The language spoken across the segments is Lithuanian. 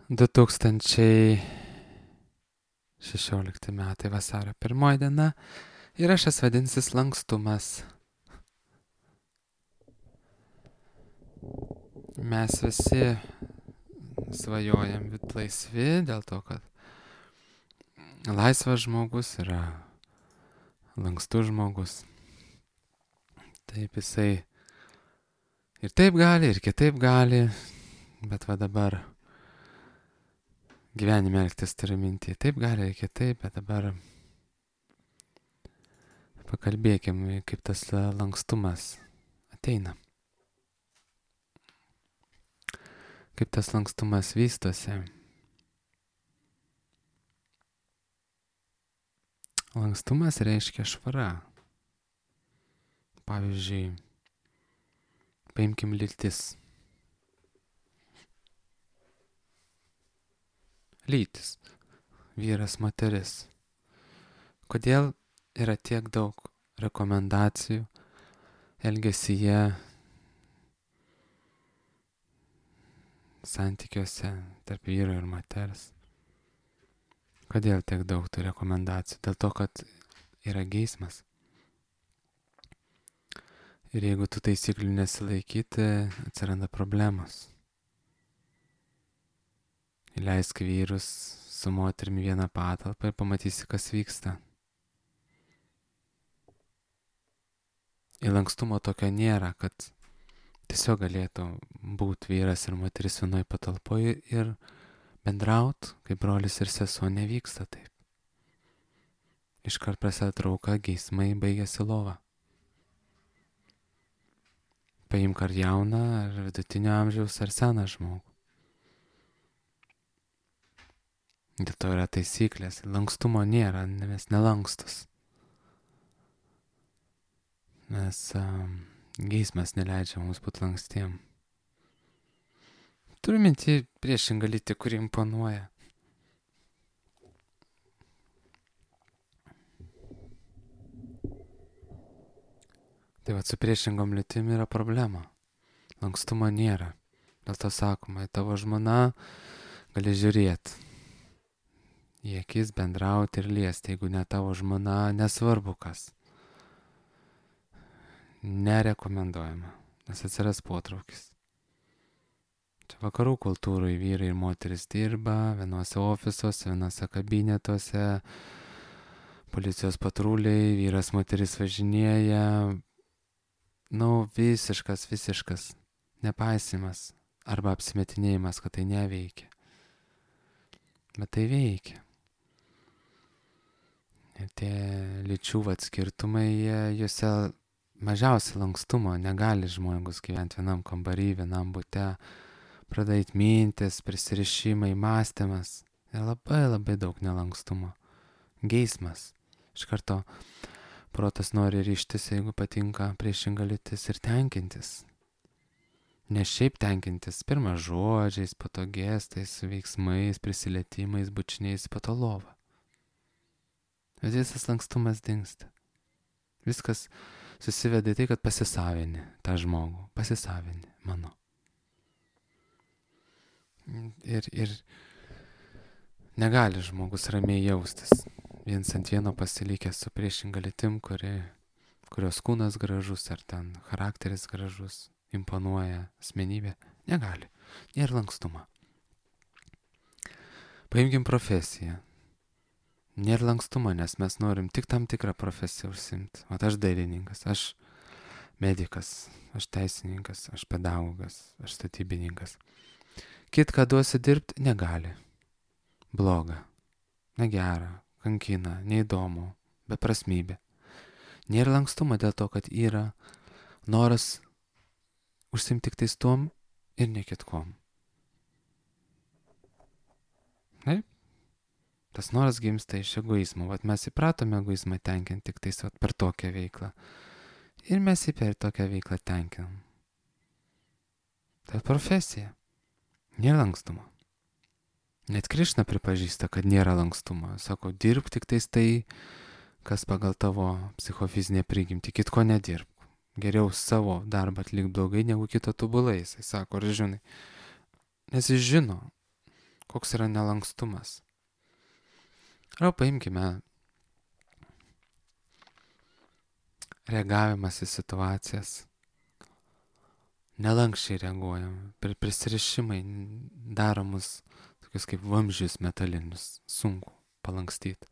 2016 metai vasario 1 diena. Įrašas vadinsis lankstumas. Mes visi svajojam būt laisvi dėl to, kad laisvas žmogus yra lankstus žmogus. Taip jisai ir taip gali, ir kitaip gali, bet va dabar gyvenime elgtis turi minti. Taip gali ir kitaip, bet dabar pakalbėkime, kaip tas lankstumas ateina. Kaip tas lankstumas vystosi. Lankstumas reiškia švara. Pavyzdžiui, paimkim lytis. Lytis. Vyras, moteris. Kodėl yra tiek daug rekomendacijų elgesyje, santykiuose tarp vyro ir moters? Kodėl tiek daug tų rekomendacijų? Dėl to, kad yra geismas. Ir jeigu tu taisyklių nesilaikyti, atsiranda problemos. Įleisk vyrus su moterimi vieną patalpą ir pamatysi, kas vyksta. Ir lankstumo tokio nėra, kad tiesiog galėtų būti vyras ir moteris vienoj patalpoje ir bendraut, kaip brolis ir sesuo, nevyksta taip. Iškart prasideda trauka, geismai, baigėsi lova. Paimk ar jauną, ar vidutinio amžiaus, ar seną žmogų. Dėl to yra taisyklės. Lankstumo nėra, mes nelankstus. Nes geismas neleidžia mums būti lankstiem. Turiu minti priešingą lytį, kuri imponuoja. Tai va, su priešingom lytim yra problema. Lankstumo nėra. Dėl to sakoma, tavo žmona gali žiūrėti į akis, bendrauti ir liesti. Jeigu ne tavo žmona, nesvarbu kas. Nerekomenduojama, nes atsiras potraukis. Čia vakarų kultūroje vyrai ir moteris dirba, vienose ofisuose, vienose kabinetuose, policijos patruliai, vyras, moteris važinėja. Visiškas nepaisimas arba apsimetinėjimas, kad tai neveikia. Bet tai veikia. Ir tie lyčių skirtumai, juose mažiausiai lankstumo. Negali žmogus gyventi vienam kambarį, vienam bute, pradėti mintis, prisirišimai, mąstymas. Ir labai daug nelankstumo. Geismas. Iš karto protas nori ryžtis, jeigu patinka priešinga lytis, ir tenkintis. Ne šiaip tenkintis, pirma žodžiais, po to gestais, veiksmais, prisilietimais, bučiniais, po to lova. Bet visas lankstumas dingsta. Viskas susiveda į tai, kad pasisavini tą žmogų. Pasisavini mano. Ir negali žmogus ramiai jaustis. Viens ant vieno pasilikęs su priešinga lytim, kurios kūnas gražus, ar ten charakteris gražus, imponuoja asmenybė. Negali. Nėra lankstumo. Paimkim profesiją. Nėra lankstumo, nes mes norim tik tam tikrą profesiją užsimti. O aš dailininkas, aš medikas, aš teisininkas, aš pedagogas, aš statybininkas. Kitką duosi dirbti negali. Bloga. Negera. Kankina. Neįdomu. Beprasmybė. Nėra lankstumo dėl to, kad yra noras užsimti tik tais tuom ir ne kitkom. Taip? Tas noras gimsta iš egoizmo. Vat mes įpratome egoizmą tenkinti tik tais per tokią veiklą. Ir mes jį per tokią veiklą tenkinam. Tai profesija. Nėra lankstumo. Net Krišna pripažįsta, kad nėra lankstumo. Sako, dirb tik tais tai, kas pagal tavo psichofizinę prigimtį. Kitko nedirb. Geriau savo darbą atlik blogai, negu kito tobulai. Jisai sako, Arjunai. Nes jis žino, koks yra nelankstumas. Arba paimkime reagavimas į situacijas. Nelankščiai reaguojam. Prisirišimai daro mus tokius kaip vamzdžius metalinius. Sunku palankstyti.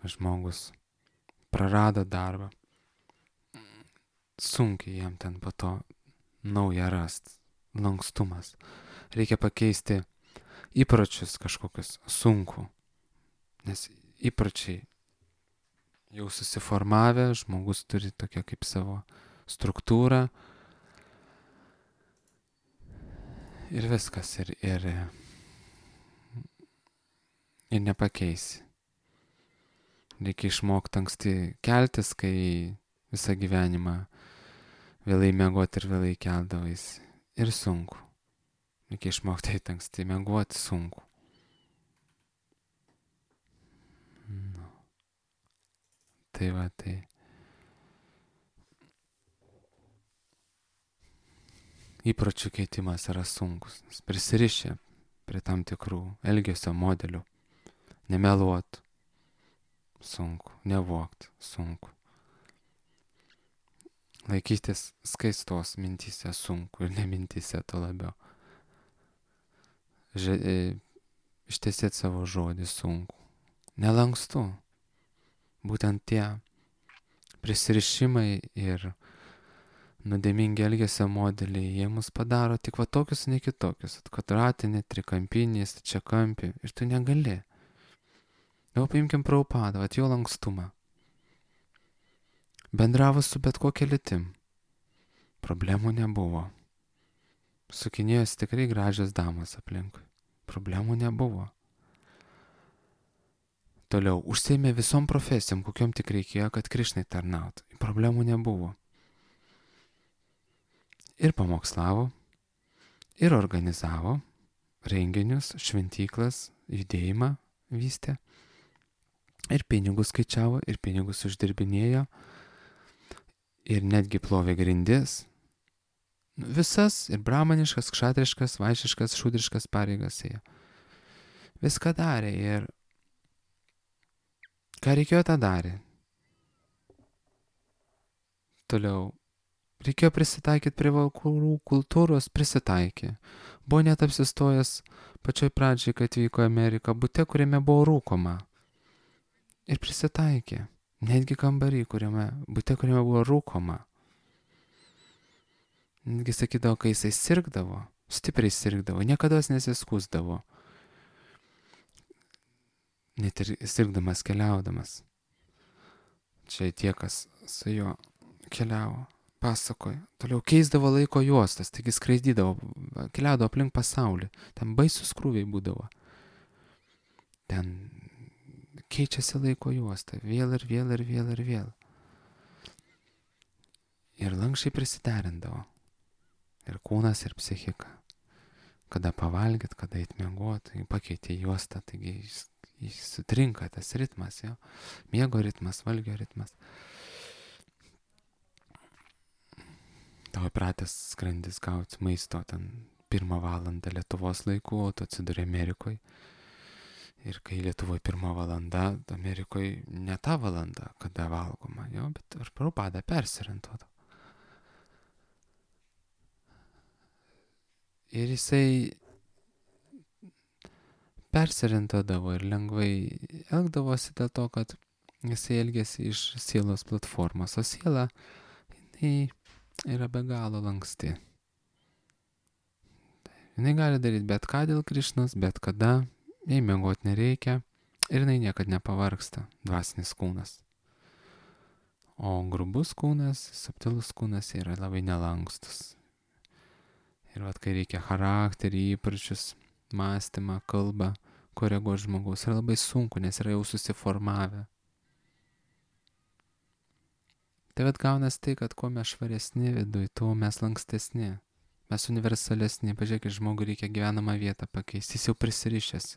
Žmogus prarado darbą. Sunkiai jam ten po to naują rast. Lankstumas. Reikia pakeisti įpročius kažkokius. Sunku. Nes įpročiai jau susiformavę, žmogus turi tokią kaip savo struktūrą. Ir viskas. Ir nepakeisi. Reikia išmokti anksti keltis, kai visą gyvenimą vėlai miegoti ir vėlai keldavais. Ir sunku. Reikia išmokti eiti anksti miegoti, sunku. Tai va, tai. Įpročių keitimas yra sunkus. Prisirišę prie tam tikrų elgesio modelių. Nemeluot. Sunku. Nevokt. Sunku. Laikytis skaistos mintyse sunku ir nemintyse to labiau. Ištesėti savo žodį sunku. Nelankstu. Būtent tie prisirišimai ir nuodėmingi elgesio modeliai, jie mus padaro tik va tokius, ne kitokius. Kvadratinį, trikampinį, stačiakampį. Ir tu negali. Jau paimkim Prabhupadą, vat jo lankstumą. Bendravo su bet kokia lytim. Problemų nebuvo. Sukinėjosi tikrai gražios damos aplinkui. Problemų nebuvo. Toliau, užsiėmė visom profesijom, kokiom tik reikėjo, kad Krišnai tarnautų. Problemų nebuvo. Ir pamokslavo, ir organizavo renginius, šventyklas, judėjimą vystė. Ir pinigus skaičiavo, ir pinigus uždirbinėjo, ir netgi plovė grindis. Visas, ir brahmaniškas, kšatriškas, vaišiškas, šudriškas pareigas ėjo. Viską darė ir ką reikėjo, tą darė. Toliau. Reikėjo prisitaikyti prie vakarų kultūros, prisitaikė. Buvo net apsistojęs pačioj pradžiai, kai atvyko į Ameriką, bute, kuriame buvo rūkoma. Ir prisitaikė. Netgi kambarį, bute, kuriame buvo rūkoma. Netgi sakydavo, kai jisai sirgdavo, stipriai sirgdavo, niekada nesiskūsdavo. Net ir sirgdamas, keliaudamas. Čia tie, kas su juo keliavo, pasakoja. Toliau keisdavo laiko juostas, taigi skraidydavo, keliaudavo aplink pasaulį. Ten baisus krūviai būdavo. Ten keičiasi laiko juosta, vėl ir vėl ir vėl ir vėl. Ir lankščiai prisiderindavo. Ir kūnas, ir psichika. Kada pavalgyt, kada eit miegot, pakeitė juostą, taigi jis sutrinka tas ritmas, jo. Miego ritmas, valgio ritmas. Tavo pratęs skrandis gauti maisto ten 1 valandą Lietuvos laiku, o tu atsiduri Amerikoje. Ir kai Lietuvoje 1 valanda, Amerikoje ne ta valanda, kada valgoma, jo, bet aš Prabhupada persiorientuodavo. Ir jisai persiorientuodavo ir lengvai elgdavosi dėl to, kad jisai elgėsi iš sielos platformos, o siela jinai yra be galo lanksti. Jinai gali daryti bet ką dėl Krišnos, bet kada, jai miegoti nereikia ir jinai niekad nepavargsta, dvasinis kūnas. O grubus kūnas, subtilus kūnas yra labai nelankstus. Ir vat, kai reikia charakterį, įpročius, mąstymą, kalbą, koreguoti žmogaus, yra labai sunku, nes yra jau susiformavę. Tai vat gaunas tai, kad kuo mes švaresni viduj, tuo mes lankstesni, mes universalesni. Pažiūrėkit, žmogui reikia gyvenamą vietą pakeisti, jis jau prisirišęs.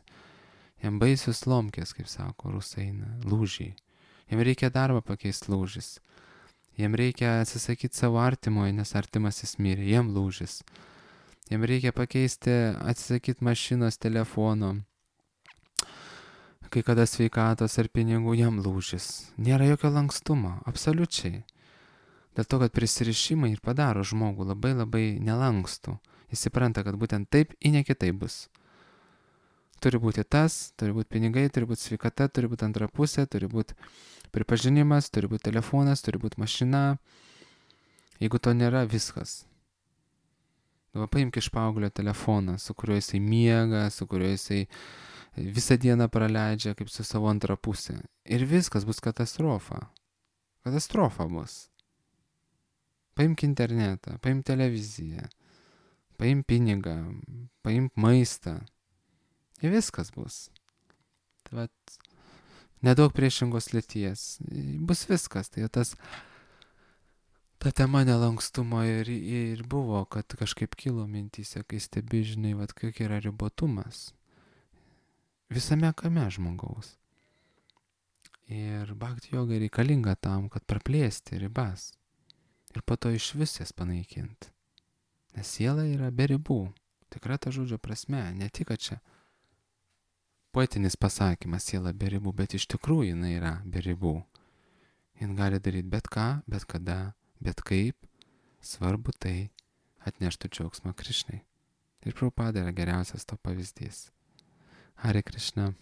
Jam baisius lomkės, kaip sako rusai, lūžiai. Jam reikia darbą pakeisti, lūžis. Jam reikia atsisakyti savo artimoje, nes artimasis mirė, jam lūžis. jiem reikia pakeisti, atsisakyti mašinos, telefono, kai kada sveikatos ar pinigų, jam lūžis. Nėra jokio lankstumo, absoliučiai. Dėl to, kad prisirišimai ir padaro žmogų labai labai nelankstų. Jis supranta, kad būtent taip ir ne kitaip bus. Turi būti tas, turi būti pinigai, turi būti sveikata, turi būti antra pusė, turi būti pripažinimas, turi būti telefonas, turi būti mašina. Jeigu to nėra, viskas. Dabar paimk iš paauglio telefoną, su kuriuo jisai miega, su kuriuo jisai visą dieną praleidžia kaip su savo antra pusė. Ir viskas bus katastrofa. Katastrofa bus. Paimk internetą, paimk televiziją, paimk pinigą, paimk maistą. Ir viskas bus. Tai vat, nedaug priešingos lyties. Bus viskas. Tai ta tema nelankstumo ir buvo, kad kažkaip kilo mintyse, kai stebi, žinai, vat, kiek yra ribotumas. Visame kame žmogaus. Ir bhakti joga reikalinga tam, kad praplėsti ribas. Ir po to iš vis jas panaikinti. Nes siela yra be ribų. Tikra ta žodžio prasme. Ne tik, kad čia poetinis pasakymas siela be ribų, bet iš tikrųjų jinai yra be ribų. Jin gali daryti bet ką, bet kada, bet kaip. Svarbu tai atneštų džiaugsmą Krišnai. Ir Prabhupada yra geriausias to pavyzdys. Hare Krishna.